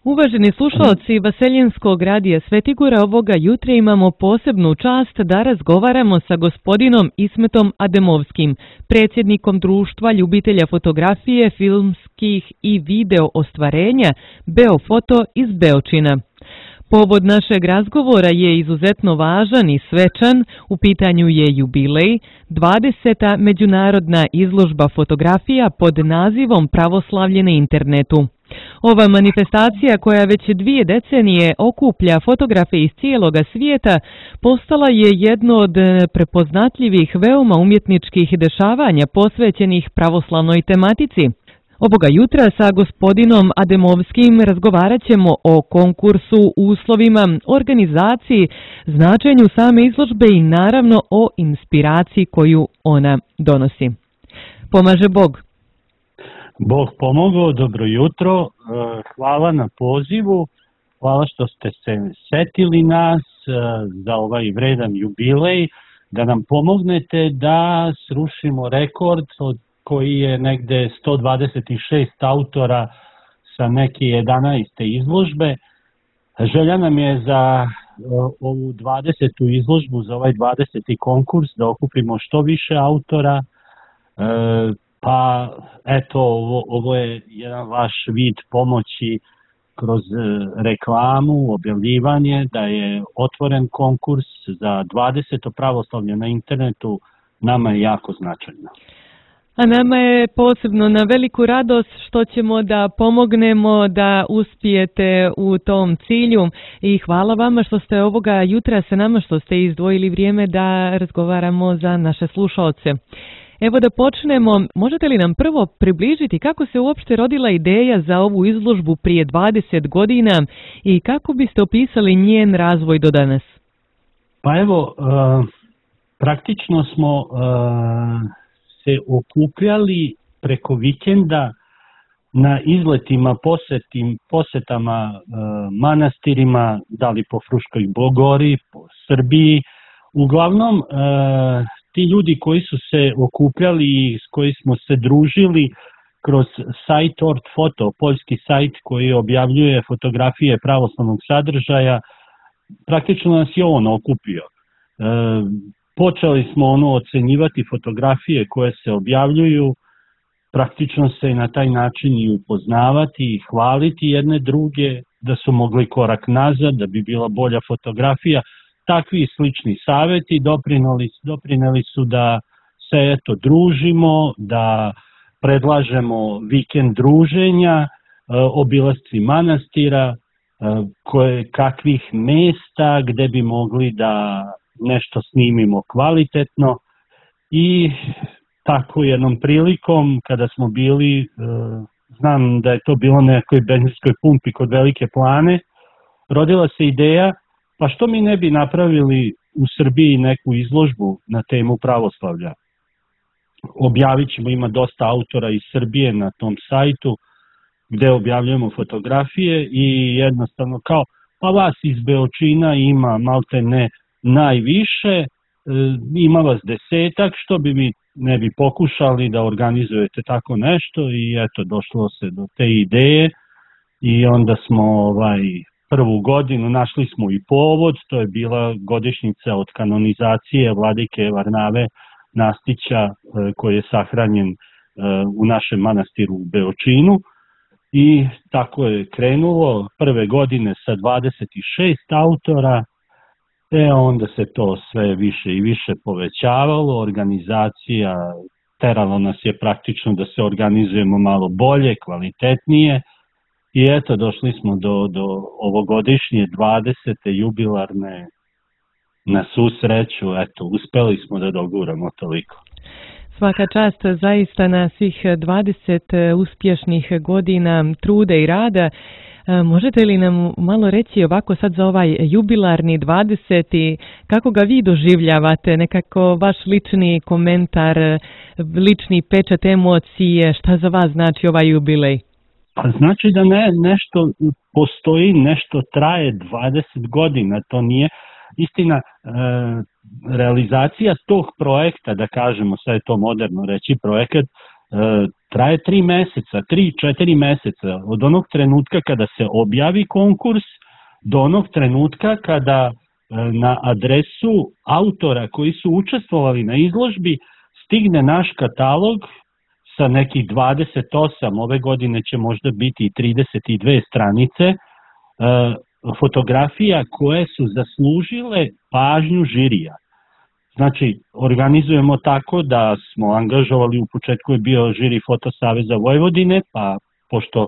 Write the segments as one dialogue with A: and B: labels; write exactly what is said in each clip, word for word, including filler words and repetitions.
A: Uvaženi slušalci Vaseljenskog radija Svetigora, ovoga jutra imamo posebnu čast da razgovaramo sa gospodinom Ismetom Ademovskim, predsjednikom društva ljubitelja fotografije, filmskih i video ostvarenja Beofoto iz Beočina. Povod našeg razgovora je izuzetno važan i svečan, u pitanju je jubilej, dvadeseta međunarodna izložba fotografija pod nazivom Pravoslavlje na internetu. Ova manifestacija, koja već dvije decenije okuplja fotografe iz cijeloga svijeta, postala je jedno od prepoznatljivih veoma umjetničkih dešavanja posvećenih pravoslavnoj tematici. Ovoga jutra sa gospodinom Ademovskim razgovarat ćemo o konkursu, uslovima, organizaciji, značenju same izložbe i naravno o inspiraciji koju ona donosi. Pomaže Bog.
B: Bog pomogao, dobro jutro, hvala na pozivu, hvala što ste se setili nas za ovaj vredan jubilej, da nam pomognete da srušimo rekord od koji je negde sto dvadeset šest autora sa neke jedanaeste izložbe. Želja nam je za ovu dvadesetu izložbu, za ovaj dvadeseti konkurs da okupimo što više autora. Pa eto, ovo, ovo je jedan vaš vid pomoći kroz reklamu, objavljivanje, da je otvoren konkurs za dvadeseto pravoslavlje na internetu, nama je jako značajno.
A: A nama je posebno na veliku radost što ćemo da pomognemo da uspijete u tom cilju i hvala vama što ste ovoga jutra sa nama, što ste izdvojili vrijeme da razgovaramo za naše slušalce. Evo da počnemo, možete li nam prvo približiti kako se uopšte rodila ideja za ovu izložbu prije dvadeset godina i kako biste opisali njen razvoj do danas?
B: Pa evo, uh, praktično smo uh, se okupljali preko vikenda na izletima, posetim, posetama uh, manastirima, da li po Fruškoj Gori, po Srbiji. Uglavnom, uh, ti ljudi koji su se okupljali i s koji smo se družili kroz sajt Ortfoto, poljski sajt koji objavljuje fotografije pravoslavnog sadržaja, praktično nas je on okupio. E, počeli smo ono ocenjivati fotografije koje se objavljuju, praktično se na taj način i upoznavati i hvaliti jedne druge, da su mogli korak nazad, da bi bila bolja fotografija. Takvi slični savjeti doprineli, doprineli su da se eto družimo, da predlažemo vikend druženja, obilasci manastira, koje, kakvih mjesta gdje bi mogli da nešto snimimo kvalitetno i tako jednom prilikom kada smo bili, znam da je to bilo na nekoj benzinskoj pumpi kod Velike Plane, rodila se ideja pa što mi ne bi napravili u Srbiji neku izložbu na temu pravoslavlja. Objavit ćemo, ima dosta autora iz Srbije na tom sajtu gdje objavljujemo fotografije i jednostavno kao, pa vas iz Beočina ima malte ne najviše, ima vas desetak, što bi mi ne bi pokušali da organizujete tako nešto i eto došlo se do te ideje i onda smo ovaj prvu godinu našli smo i povod, to je bila godišnjica od kanonizacije vladike Varnave Nastića koji je sahranjen u našem manastiru u Beočinu i tako je krenulo prve godine sa dvadeset šest autora, e onda se to sve više i više povećavalo, organizacija teralo nas je praktično da se organizujemo malo bolje, kvalitetnije. I eto, došli smo do, do ovogodišnje dvadesete jubilarne, na svu sreću, eto, uspeli smo da doguramo toliko.
A: Svaka čast zaista na svih dvadeset uspješnih godina truda i rada. Možete li nam malo reći ovako sad za ovaj jubilarni dvadeseti, kako ga vi doživljavate, nekako vaš lični komentar, lični pečat emocije, šta za vas znači ovaj jubilej?
B: Pa znači da ne, nešto postoji, nešto traje dvadeset godina, to nije istina. E, realizacija tog projekta, da kažemo, sad je to moderno reći projekat, e, traje tri meseca, tri, četiri meseca, od onog trenutka kada se objavi konkurs do onog trenutka kada na adresu autora koji su učestvovali na izložbi stigne naš katalog sa nekih dvadeset osam, ove godine će možda biti trideset dve stranice, fotografija koje su zaslužile pažnju žirija. Znači, organizujemo tako da smo angažovali, u početku je bio žiri Fotosaveza Vojvodine, pa pošto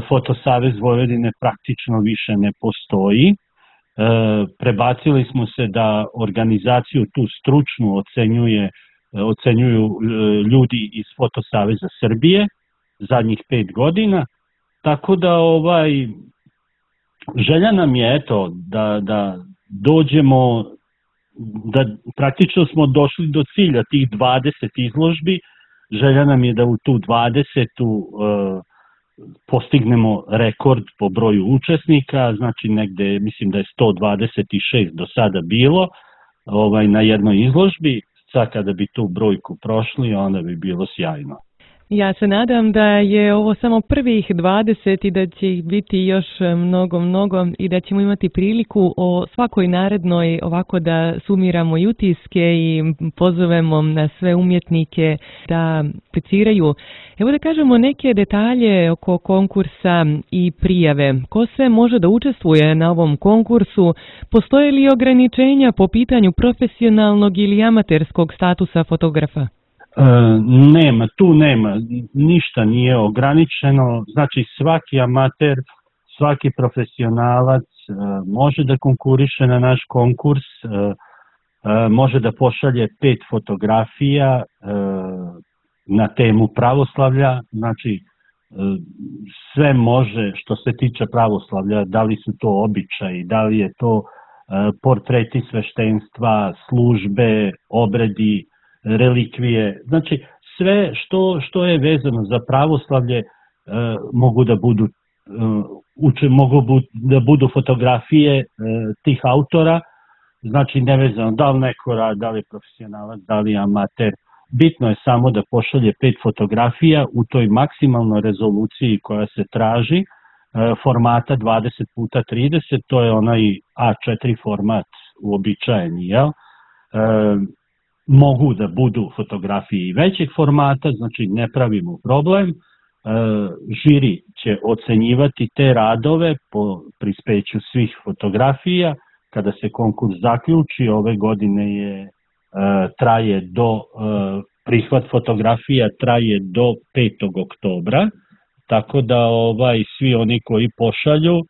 B: Fotosavez Vojvodine praktično više ne postoji, prebacili smo se da organizaciju tu stručnu ocenjuje, ocenjuju ljudi iz Fotosaveza Srbije zadnjih pet godina, tako da ovaj, želja nam je eto da, da dođemo, da praktično smo došli do cilja tih dvadeset izložbi, želja nam je da u tu dvadesetu uh, postignemo rekord po broju učesnika, znači negde mislim da je sto dvadeset šest do sada bilo ovaj, na jednoj izložbi, sad kada bi tu brojku prošli onda bi bilo sjajno.
A: Ja se nadam da je ovo samo prvih dvadeset i da će ih biti još mnogo, mnogo i da ćemo imati priliku o svakoj narednoj ovako da sumiramo i utiske i pozovemo na sve umjetnike da apliciraju. Evo da kažemo neke detalje oko konkursa i prijave. Ko sve može da učestvuje na ovom konkursu? Postoje li ograničenja po pitanju profesionalnog ili amaterskog statusa fotografa?
B: Nema, tu nema, ništa nije ograničeno, znači svaki amater, svaki profesionalac može da konkuriše na naš konkurs, može da pošalje pet fotografija na temu pravoslavlja, znači sve može što se tiče pravoslavlja, da li su to običaji, da li je to portreti sveštenstva, službe, obredi, relikvije, znači sve što, što je vezano za pravoslavlje e, mogu da budu e, uče, mogu bu, da budu fotografije e, tih autora, znači nevezano da li neko rad, da li je profesionalac, da li je amater, bitno je samo da pošalje pet fotografija u toj maksimalnoj rezoluciji koja se traži, e, formata dvadeset puta trideset, to je onaj A četiri format uobičajeni, jel? E, mogu da budu fotografije i većeg formata, znači ne pravimo problem. E, žiri će ocenjivati te radove po prispeću svih fotografija. Kada se konkurs zaključi, ove godine je e, traje do e, prihvat fotografija traje do petog oktobra, tako da ovaj svi oni koji pošalju e,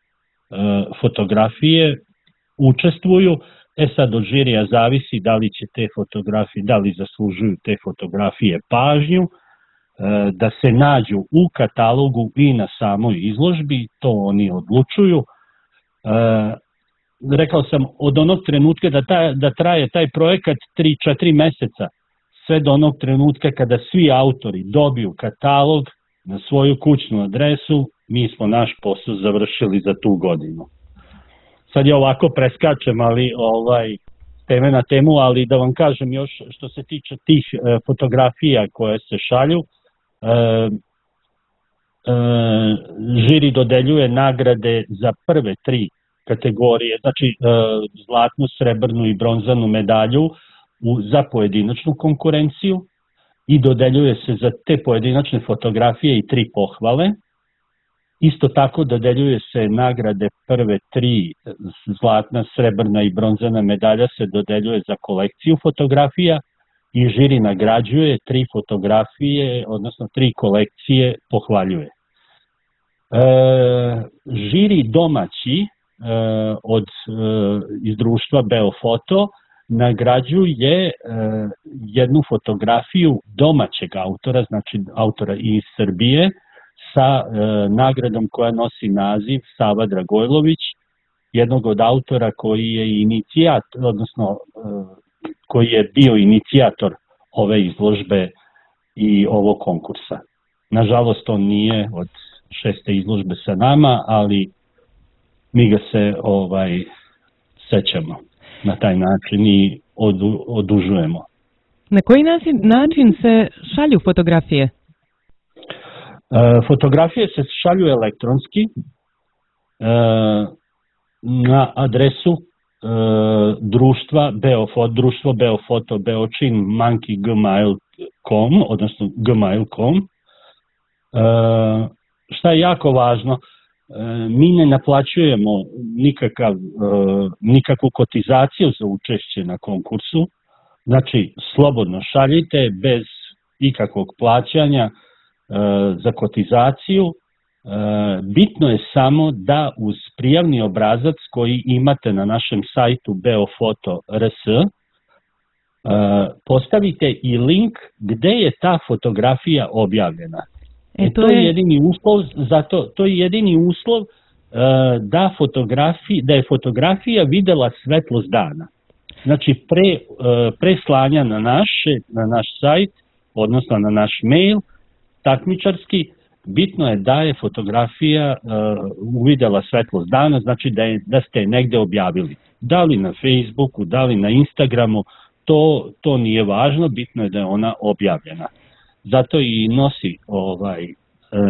B: fotografije učestvuju. E sad od žirija zavisi da li će te fotografije, da li zaslužuju te fotografije pažnju, da se nađu u katalogu i na samoj izložbi, to oni odlučuju. Rekao sam, od onog trenutka da, ta, da traje taj projekat tri četiri meseca, sve do onog trenutka kada svi autori dobiju katalog na svoju kućnu adresu, mi smo naš posao završili za tu godinu. Sad ja ovako preskačem, ali ovaj teme na temu, ali da vam kažem još što se tiče tih e, fotografija koje se šalju, e, e, žiri dodeljuje nagrade za prve tri kategorije, znači e, zlatnu, srebrnu i bronzanu medalju u, za pojedinačnu konkurenciju i dodeljuje se za te pojedinačne fotografije i tri pohvale. Isto tako dodeljuje se nagrade prve tri, zlatna, srebrna i bronzana medalja se dodeljuje za kolekciju fotografija i žiri nagrađuje tri fotografije, odnosno tri kolekcije pohvaljuje. E, žiri domaći e, od e, iz društva Beofoto nagrađuje e, jednu fotografiju domaćeg autora, znači autora iz Srbije, sa e, nagradom koja nosi naziv Sava Dragojlović, jednog od autora koji je inicijator, odnosno e, koji je bio inicijator ove izložbe i ovog konkursa. Nažalost, on nije od šeste izložbe sa nama, ali mi ga se ovaj sećamo na taj način i odu, odužujemo.
A: Na koji način se šalju fotografije?
B: Fotografije se šalju elektronski na adresu društva Beofot, društvo Beofoto Beočin monkey gmail dot com, odnosno gmail dot com. Šta je jako važno, mi ne naplaćujemo nikakav, nikakvu kotizaciju za učešće na konkursu, znači slobodno šaljite bez ikakvog plaćanja za kotizaciju. Bitno je samo da uz prijavni obrazac koji imate na našem sajtu beofoto tačka r s postavite i link gde je ta fotografija objavljena. E, to, to je jedini uslov, zato to je jedini uslov da fotografi, da je fotografija videla svetlost dana. Znači pre, pre slanja na naše, na naš sajt, odnosno na naš mail takmičarski, bitno je da je fotografija uh, uvidela svetlost dana, znači da, je, da ste je negde objavili. Da li na Facebooku, da li na Instagramu, to, to nije važno, bitno je da je ona objavljena. Zato i nosi ovaj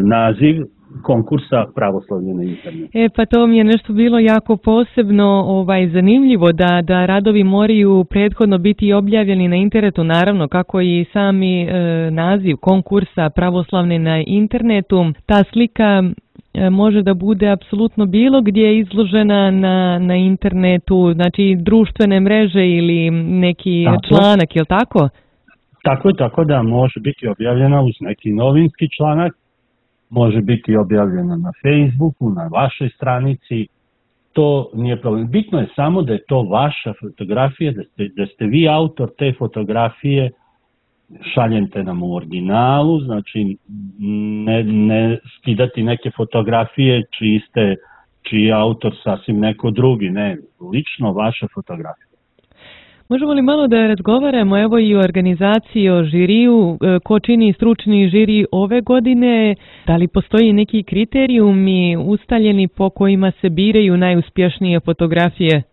B: naziv konkursa Pravoslavlje na internetu.
A: E pa to mi je nešto bilo jako posebno ovaj zanimljivo da da radovi moraju prethodno biti objavljeni na internetu, naravno kako i sami e, naziv konkursa Pravoslavne na internetu. Ta slika e, može da bude apsolutno bilo gdje izložena na na internetu, znači društvene mreže ili neki tako. članak, je li tako?
B: Tako je, tako da može biti objavljena uz neki novinski članak. Može biti objavljeno na Facebooku, na vašoj stranici, to nije problem. Bitno je samo da je to vaša fotografija, da ste, da ste vi autor te fotografije, šaljete nam u originalu, znači ne, ne skidati neke fotografije čiji ste, čiji je autor sasvim neko drugi, ne, lično vaša fotografija.
A: Možemo li malo da razgovaramo evo i o organizaciji, o žiriju, ko čini stručni žiri ove godine, da li postoji neki kriterijumi ustaljeni po kojima se biraju najuspješnije fotografije?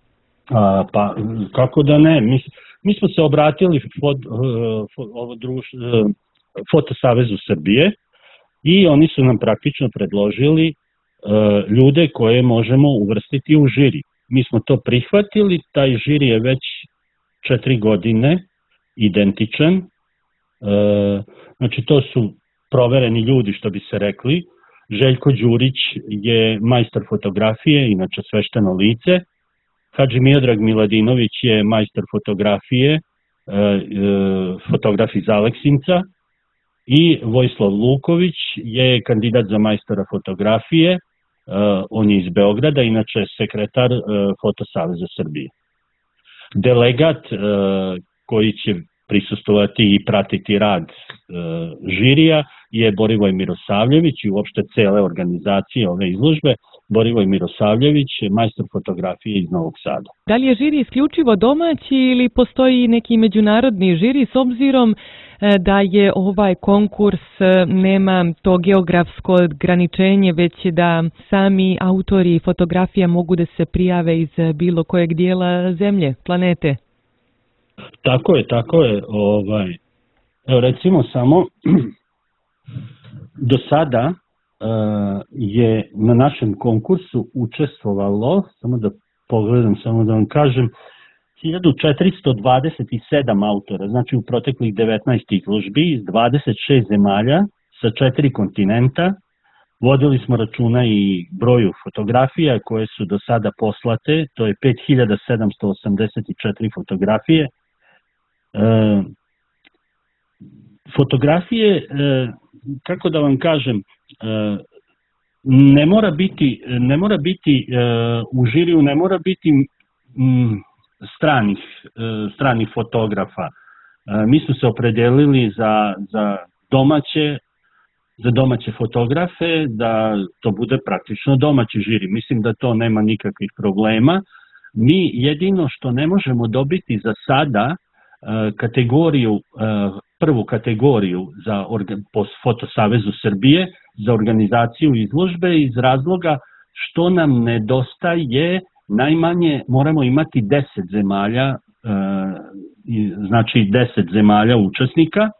B: A, pa kako da ne, mi, mi smo se obratili fot, ovo druž, Fotosavezu Srbije i oni su nam praktično predložili uh, ljude koje možemo uvrstiti u žiri. Mi smo to prihvatili, taj žiri je već četiri godine identičan, e, znači to su provereni ljudi što bi se rekli. Željko Đurić je majstor fotografije, inače svešteno lice. Hadži Miodrag Miladinović je majstor fotografije, e, e, fotograf iz Aleksinca i Vojislav Luković je kandidat za majstora fotografije, e, on je iz Beograda, inače sekretar e, Fotosaveza Srbije. Delegat e, koji će prisustovati i pratiti rad e, žirija je Borivoj Mirosavljević i uopšte cele organizacije ove izložbe. Borivoj Mirosavljević je majstor fotografije iz Novog Sada.
A: Da li je žiri isključivo domaći ili postoji neki međunarodni žiri s obzirom da je ovaj konkurs nema to geografsko ograničenje, već da sami autori fotografija mogu da se prijave iz bilo kojeg dijela zemlje, planete?
B: Tako je, tako je. Ovaj, evo recimo samo do sada uh, je na našem konkursu učestvovalo, samo da pogledam, samo da vam kažem, hiljadu četiristo dvadeset sedam autora, znači u proteklih devetnaest izložbi iz dvadeset šest zemalja sa četiri kontinenta. Vodili smo računa i broju fotografija koje su do sada poslate, to je pet hiljada sedamsto osamdeset četiri fotografije. E, fotografije, e, kako da vam kažem, e, ne mora biti, ne mora biti e, u žiriju, ne mora biti m, stranih, stranih fotografa. Mi smo se opredelili za, za, domaće, za domaće fotografe, da to bude praktično domaći žiri. Mislim da to nema nikakvih problema. Mi jedino što ne možemo dobiti za sada kategoriju, prvu kategoriju za po Fotosavezu Srbije za organizaciju izložbe iz razloga što nam nedostaje. Najmanje moramo imati deset zemalja, znači deset zemalja učesnika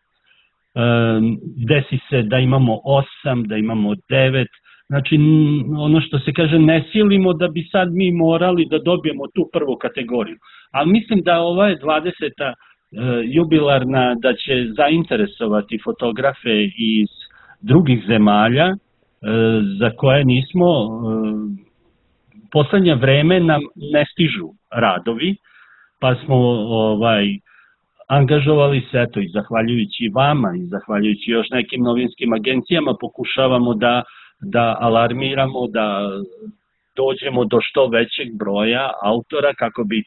B: desi se da imamo osam, da imamo devet, znači ono što se kaže ne silimo da bi sad mi morali da dobijemo tu prvu kategoriju, ali mislim da ova je dvadeseta jubilarna da će zainteresovati fotografe iz drugih zemalja za koje nismo, poslednje vreme nam ne stižu radovi, pa smo ovaj, angažovali se, eto i zahvaljujući vama i zahvaljujući još nekim novinskim agencijama pokušavamo da, da alarmiramo, da dođemo do što većeg broja autora kako bi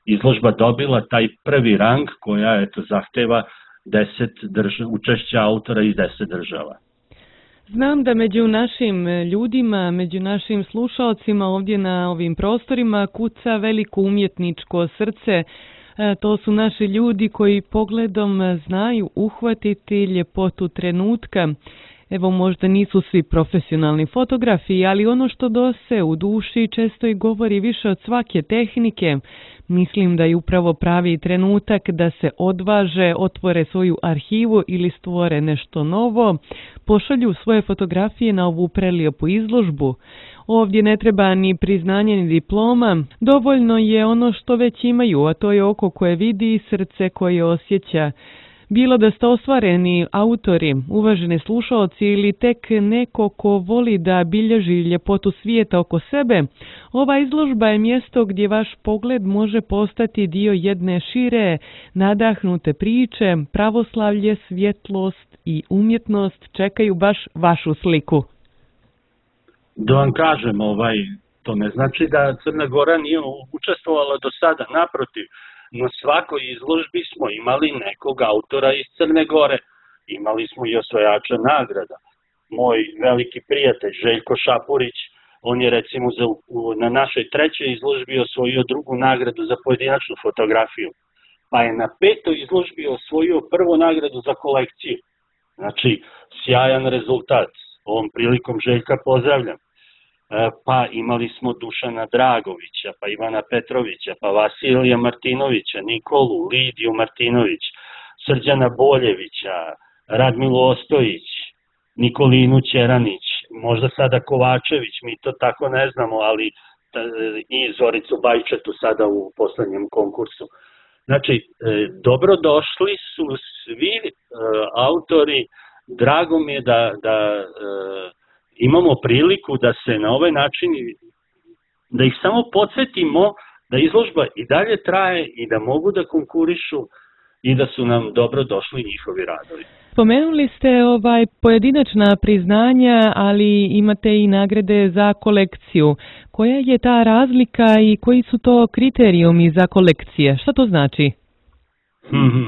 B: izložba dobila taj prvi rang koja eto zahteva deset država, učešća autora iz deset država.
A: Znam da među našim ljudima, među našim slušalcima ovdje na ovim prostorima kuca veliko umjetničko srce. To su naši ljudi koji pogledom znaju uhvatiti ljepotu trenutka. Evo možda nisu svi profesionalni fotografi, ali ono što dose u duši često i govori više od svake tehnike. Mislim da je upravo pravi trenutak da se odvaže, otvore svoju arhivu ili stvore nešto novo, pošalju svoje fotografije na ovu prelijepu izložbu. Ovdje ne treba ni priznanje ni diploma, dovoljno je ono što već imaju, a to je oko koje vidi i srce koje osjeća. Bilo da ste ostvareni autori, uvaženi slušalci ili tek neko ko voli da bilježi ljepotu svijeta oko sebe, ova izložba je mjesto gdje vaš pogled može postati dio jedne šire, nadahnute priče, pravoslavlje, svjetlost i umjetnost čekaju baš vašu sliku.
B: Da vam kažem, ovaj, to ne znači da Crna Gora nije učestvovala do sada, naprotiv. Na svakoj izložbi smo imali nekog autora iz Crne Gore, imali smo i osvajača nagrada. Moj veliki prijatelj Željko Šapurić, on je recimo za, na našoj trećoj izložbi osvojio drugu nagradu za pojedinačnu fotografiju, pa je na petoj izložbi osvojio prvu nagradu za kolekciju. Znači, sjajan rezultat, ovom prilikom Željka pozdravljam. Pa imali smo Dušana Dragovića, pa Ivana Petrovića, pa Vasilija Martinovića, Nikolu, Lidiju Martinović, Srđana Boljevića, Radmilu Ostojić, Nikolinu Ćeranić, možda sada Kovačević, mi to tako ne znamo, ali i Zoricu Bajčetu sada u poslednjem konkursu. Znači, dobrodošli su svi autori, drago mi je da, da imamo priliku da se na ovaj način, da ih samo podsjetimo da izložba i dalje traje i da mogu da konkurišu i da su nam dobro došli njihovi radovi.
A: Spomenuli ste ovaj pojedinačna priznanja, ali imate i nagrade za kolekciju. Koja je ta razlika i koji su to kriterijumi za kolekcije? Šta to znači?
B: Hmm,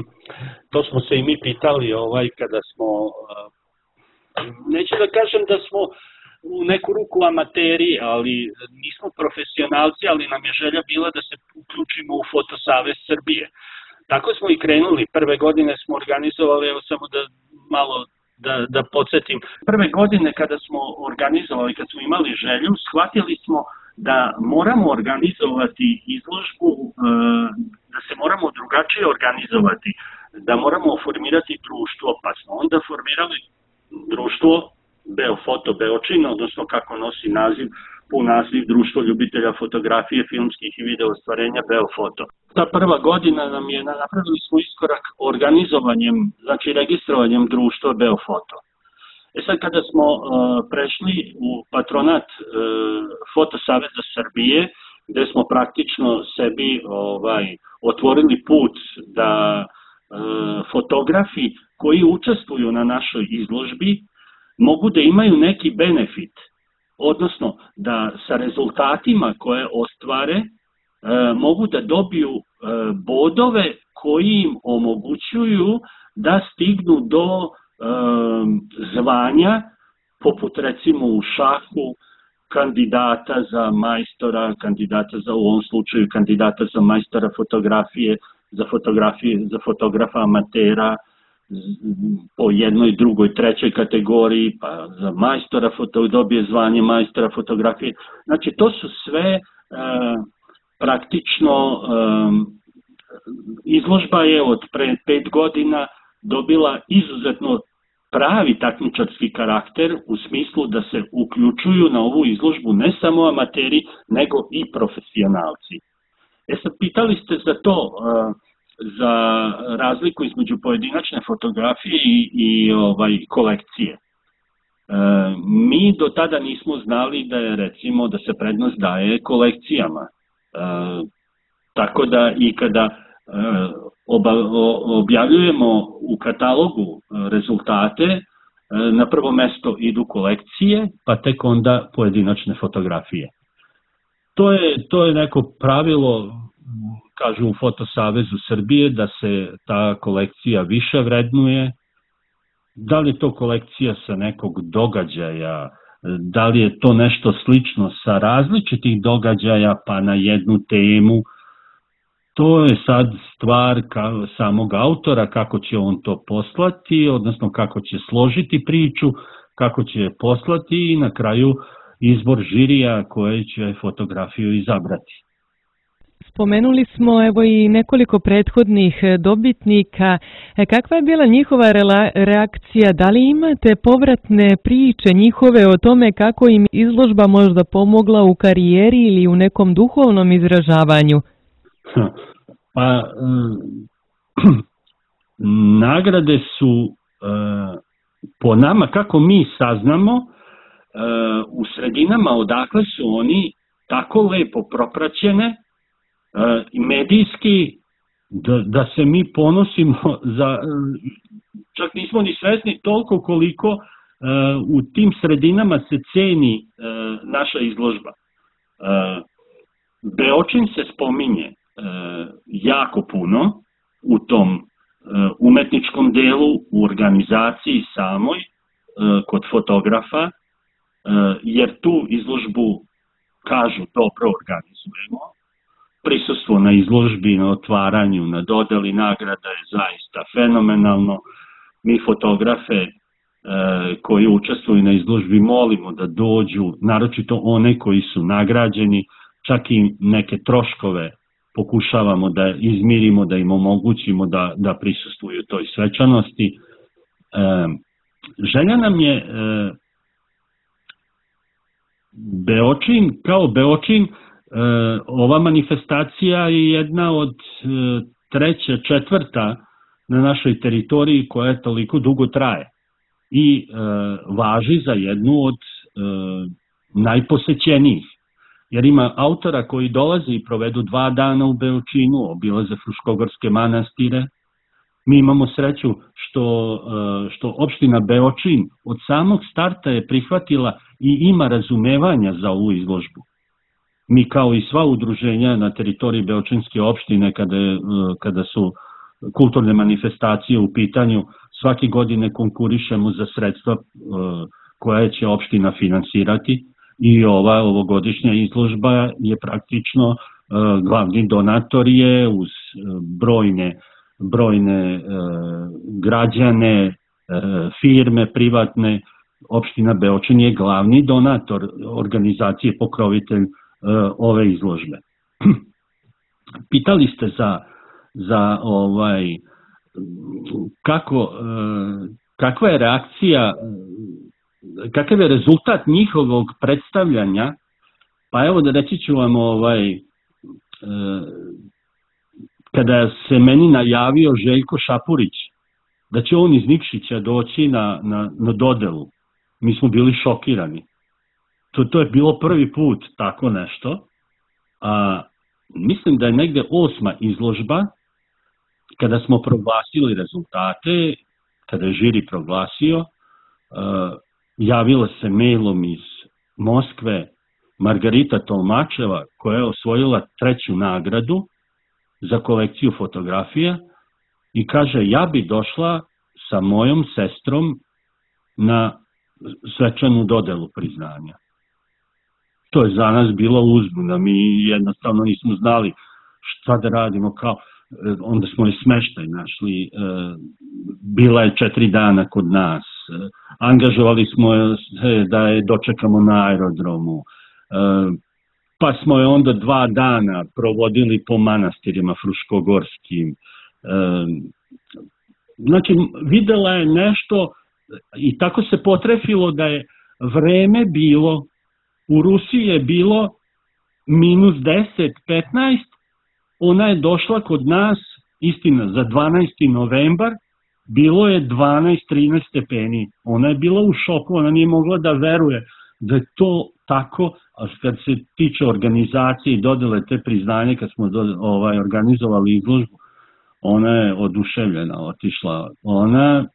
B: to smo se i mi pitali ovaj kada smo... Neću da kažem da smo u neku ruku amateri, ali nismo profesionalci, ali nam je želja bila da se uključimo u Fotosavez Srbije. Tako smo i krenuli. Prve godine smo organizovali, evo samo da malo da, da podsjetim. Prve godine kada smo organizovali, kad smo imali želju, shvatili smo da moramo organizovati izložbu, da se moramo drugačije organizovati, da moramo formirati društvo, pa smo onda formirali društvo Beofoto Beočin, odnosno kako nosi naziv, pun naziv Društvo ljubitelja fotografije, filmskih i video ostvarenja Beofoto. Ta prva godina nam je, napravili smo iskorak organizovanjem, znači registrovanjem društva Beofoto. E sad kada smo uh, prešli u patronat uh, Fotosaveza Srbije, gde smo praktično sebi ovaj, otvorili put da uh, fotografi koji učestvuju na našoj izložbi mogu da imaju neki benefit, odnosno da sa rezultatima koje ostvare e, mogu da dobiju e, bodove koji im omogućuju da stignu do e, zvanja, poput recimo u šahu, kandidata za majstora, kandidata za, u ovom slučaju kandidata za majstora fotografije, za fotografije, za fotografa amatera, po jednoj, drugoj, trećoj kategoriji, pa za majstora foto, dobije zvanje majstora fotografije. Znači, to su sve e, praktično e, izložba je od pre pet godina dobila izuzetno pravi takmičarski karakter u smislu da se uključuju na ovu izložbu ne samo amateri, nego i profesionalci. E sad, pitali ste za to, za razliku između pojedinačne fotografije i, i ovaj, kolekcije. E, mi do tada nismo znali da je, recimo, da se prednost daje kolekcijama. E, tako da i kada e, oba, o, objavljujemo u katalogu rezultate, e, na prvo mesto idu kolekcije, pa tek onda pojedinačne fotografije. To je, to je neko pravilo, kažu u Fotosavezu Srbije, da se ta kolekcija više vrednuje. Da li je to kolekcija sa nekog događaja, da li je to nešto slično sa različitih događaja pa na jednu temu, to je sad stvar kao samog autora, kako će on to poslati, odnosno kako će složiti priču, kako će je poslati i na kraju izbor žirija koje će fotografiju izabrati.
A: Spomenuli smo evo i nekoliko prethodnih dobitnika. Kakva je bila njihova reakcija? Da li imate povratne priče njihove o tome kako im izložba možda pomogla u karijeri ili u nekom duhovnom izražavanju?
B: Pa, nagrade su po nama, kako mi saznamo, u sredinama odakle su oni tako lepo propraćene i medijski da, da se mi ponosimo za, čak nismo ni svesni toliko koliko uh, u tim sredinama se ceni uh, naša izložba. Uh, Beočin se spominje uh, jako puno u tom uh, umetničkom delu, u organizaciji samoj, uh, kod fotografa, uh, jer tu izložbu, kažu, dobro organizujemo. Prisustvo na izložbi, na otvaranju, na dodeli nagrada je zaista fenomenalno. Mi fotografe e, koji učestvuju na izložbi molimo da dođu, naročito one koji su nagrađeni, čak i neke troškove pokušavamo da izmirimo, da im omogućimo da, da prisustvuju toj svečanosti. E, želja nam je e, Beočin, kao Beočin, E, ova manifestacija je jedna od e, treća, četvrta na našoj teritoriji koja toliko dugo traje i e, važi za jednu od e, najposećenijih. Jer ima autora koji dolaze i provedu dva dana u Beočinu, obilaze Fruškogorske manastire. Mi imamo sreću što, e, što opština Beočin od samog starta je prihvatila i ima razumevanja za ovu izložbu. Mi kao i sva udruženja na teritoriji Beočinske opštine, kada, kada su kulturne manifestacije u pitanju, svake godine konkurišemo za sredstva koje će opština finansirati i ova ovogodišnja izložba je praktično glavni donator je uz brojne, brojne građane, firme privatne. Opština Beočin je glavni donator organizacije, pokrovitelj ove izložbe. Pitali ste za, za ovaj, kako, kakva je reakcija, kakav je rezultat njihovog predstavljanja, pa evo da reći ću vam, ovaj, kada se meni najavio Željko Šapurić da će on iz Nikšića doći na, na, na dodelu, mi smo bili šokirani. To, to je bilo prvi put tako nešto, a mislim da je negde osma izložba, kada smo proglasili rezultate, kada je žiri proglasio, uh, javila se mailom iz Moskve Margarita Tolmačeva, koja je osvojila treću nagradu za kolekciju fotografija i kaže, ja bi došla sa mojom sestrom na svečanu dodelu priznanja. To je za nas bilo uzbuna, mi jednostavno nismo znali šta da radimo, kao, onda smo i smeštaj našli, bila je četiri dana kod nas, angažovali smo se da je dočekamo na aerodromu, pa smo je onda dva dana provodili po manastirima fruškogorskim, znači videla je nešto i tako se potrefilo da je vreme bilo, u Rusiji je bilo minus deset, petnaest, ona je došla kod nas, istina, za dvanaesti novembar, bilo je dvanaest, trinaest stepeni. Ona je bila u šoku, ona nije mogla da veruje da je to tako, a kad se tiče organizacije i dodele te priznanje, kad smo do, ovaj, organizovali izložbu, ona je oduševljena, otišla. Ona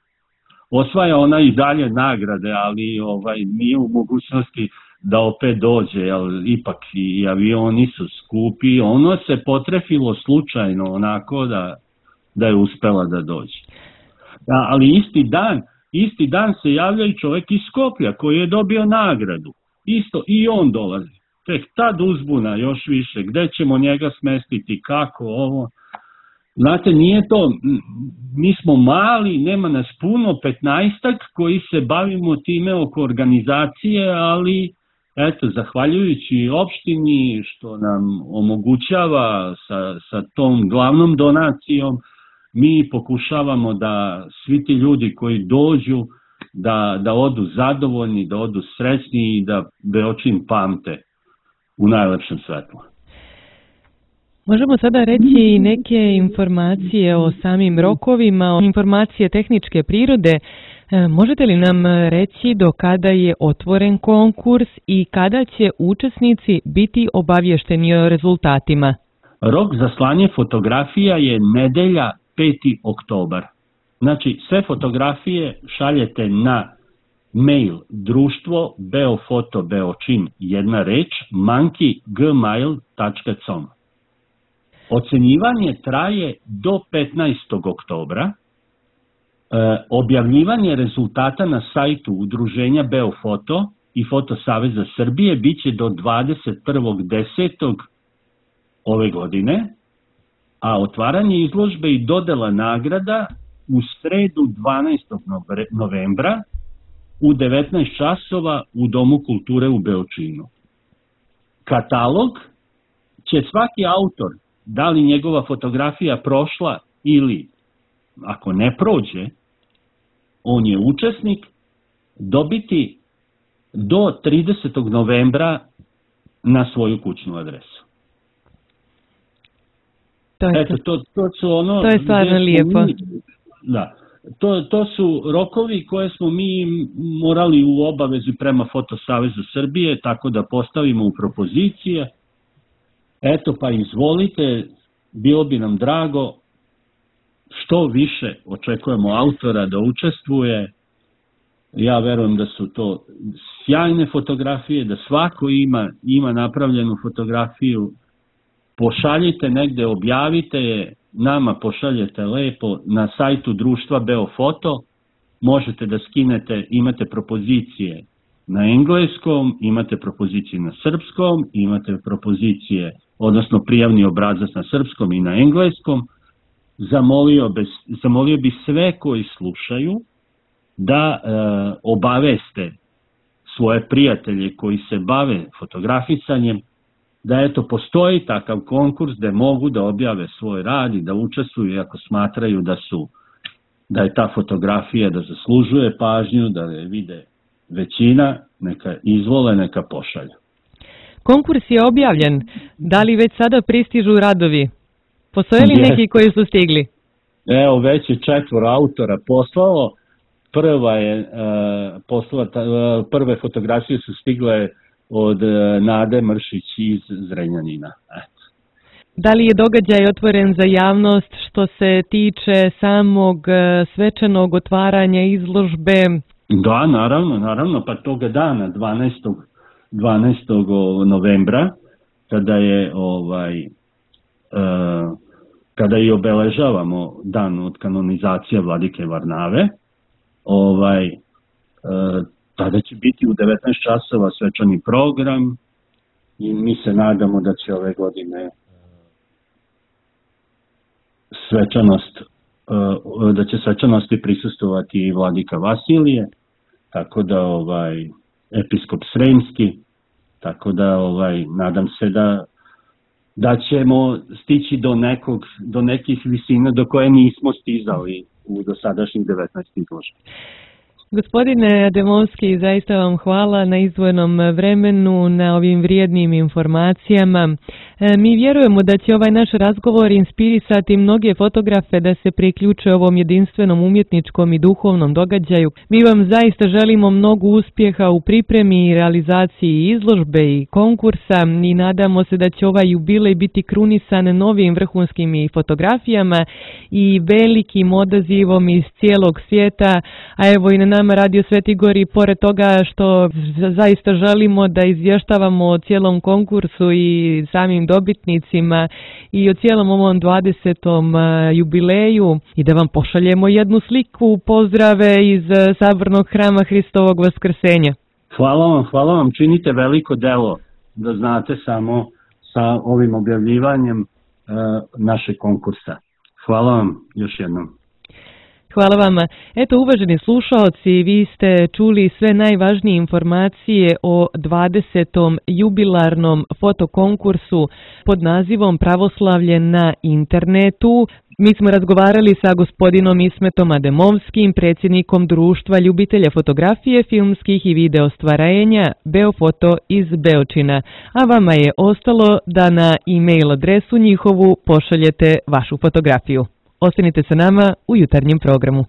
B: osvaja ona i dalje nagrade, ali ovaj nije u mogućnosti da opet dođe, jer ipak i avioni su skupi. Ono se potrefilo slučajno onako da, da je uspela da dođe. Da, ali isti dan, isti dan se javlja i čovjek iz Skoplja koji je dobio nagradu. Isto i on dolazi. Tek tad uzbuna još više. Gde ćemo njega smestiti, kako ovo? Znate, nije to, mi smo mali, nema nas puno, petnaestak koji se bavimo time oko organizacije, ali eto, zahvaljujući opštini što nam omogućava sa, sa tom glavnom donacijom, mi pokušavamo da svi ti ljudi koji dođu, da, da odu zadovoljni, da odu srećni i da Beočin pamte u najlepšem svetlu.
A: Možemo sada reći neke informacije o samim rokovima, informacije tehničke prirode. Možete li nam reći do kada je otvoren konkurs i kada će učesnici biti obavješteni o rezultatima?
B: Rok za slanje fotografija je nedelja peti oktobar. Znači, sve fotografije šaljete na mail društvo beofoto beočin, jedna reč, monkey gmail tačka com. Ocenjivanje traje do petnaestog oktobra. E, objavljivanje rezultata na sajtu Udruženja Beofoto i Fotosaveza Srbije biće do dvadeset prvog desetog ove godine, a otvaranje izložbe i dodela nagrada u sredu dvanaestog novembra u devetnaest časova u Domu kulture u Beočinu. Katalog će svaki autor, da li njegova fotografija prošla ili ako ne prođe, on je učesnik, dobiti do tridesetog novembra na svoju kućnu adresu.
A: To je,
B: Eto, to, to, su ono
A: to je stvarno lijepo.
B: Mi, da, to, to su rokovi koje smo mi morali u obavezi prema Fotosavezu Srbije, tako da postavimo u propozicije. Eto, pa izvolite, bilo bi nam drago, što više očekujemo autora da učestvuje. Ja verujem da su to sjajne fotografije, da svako ima, ima napravljenu fotografiju. Pošaljite negde, objavite je, nama pošaljete lepo na sajtu društva Beofoto, možete da skinete, imate propozicije na engleskom, imate propozicije na srpskom, imate propozicije, odnosno prijavni obrazac na srpskom i na engleskom. Zamolio bi, zamolio bi sve koji slušaju da e, obaveste svoje prijatelje koji se bave fotografisanjem, da eto postoji takav konkurs da mogu da objave svoj rad i da učestvuju ako smatraju da su da je ta fotografija da zaslužuje pažnju, da je vide većina, neka izvole, neka pošalju.
A: Konkurs je objavljen. Da li već sada pristižu radovi? Postoje li neki koji su stigli?
B: Evo, već je četvoro autora poslalo. Prva je, uh, poslala, uh, prve fotografije su stigle od uh, Nade Mršić iz Zrenjanina. Eto.
A: Da li je događaj otvoren za javnost što se tiče samog uh, svečanog otvaranja izložbe?
B: Da, naravno, naravno, pa toga dana, dvanaestog novembra, kada je ovaj, uh, kada i obeležavamo dan od kanonizacije Vladike Varnave, ovaj, uh, tada će biti u devetnaest časova svečani program i mi se nadamo da će ove godine svečanost, uh, da će svečanosti prisustovati i Vladika Vasilije, tako da ovaj episkop Sremski, tako da ovaj nadam se da da ćemo stići do, nekog, do nekih visina do koje nismo stizali u dosadašnjih devetnaest izložbi.
A: Gospodine Ademovski, zaista vam hvala na izdvojenom vremenu, na ovim vrijednim informacijama. Mi vjerujemo da će ovaj naš razgovor inspirisati mnoge fotografe da se priključe ovom jedinstvenom umjetničkom i duhovnom događaju. Mi vam zaista želimo mnogo uspjeha u pripremi i realizaciji izložbe i konkursa i nadamo se da će ovaj jubilej biti krunisan novim vrhunskim i fotografijama i velikim odazivom iz cijelog svijeta, a evo i na nama Radio Sveti Gor i pored toga što zaista želimo da izvještavamo o cijelom konkursu i samim dobitnicima i o cijelom ovom dvadesetom jubileju i da vam pošaljemo jednu sliku pozdrave iz Sabornog hrama Hristovog Vaskrsenja.
B: Hvala vam, hvala vam, činite veliko delo, da znate, samo sa ovim objavljivanjem e, našeg konkursa. Hvala vam još jednom.
A: Hvala vama. Eto, uvaženi slušaoci, vi ste čuli sve najvažnije informacije o dvadesetom jubilarnom fotokonkursu pod nazivom Pravoslavlje na internetu. Mi smo razgovarali sa gospodinom Ismetom Ademovskim, predsjednikom Društva ljubitelja fotografije, filmskih i video stvarenja Beofoto iz Beočina, a vama je ostalo da na e-mail adresu njihovu pošaljete vašu fotografiju. Ostanite sa nama u jutarnjem programu.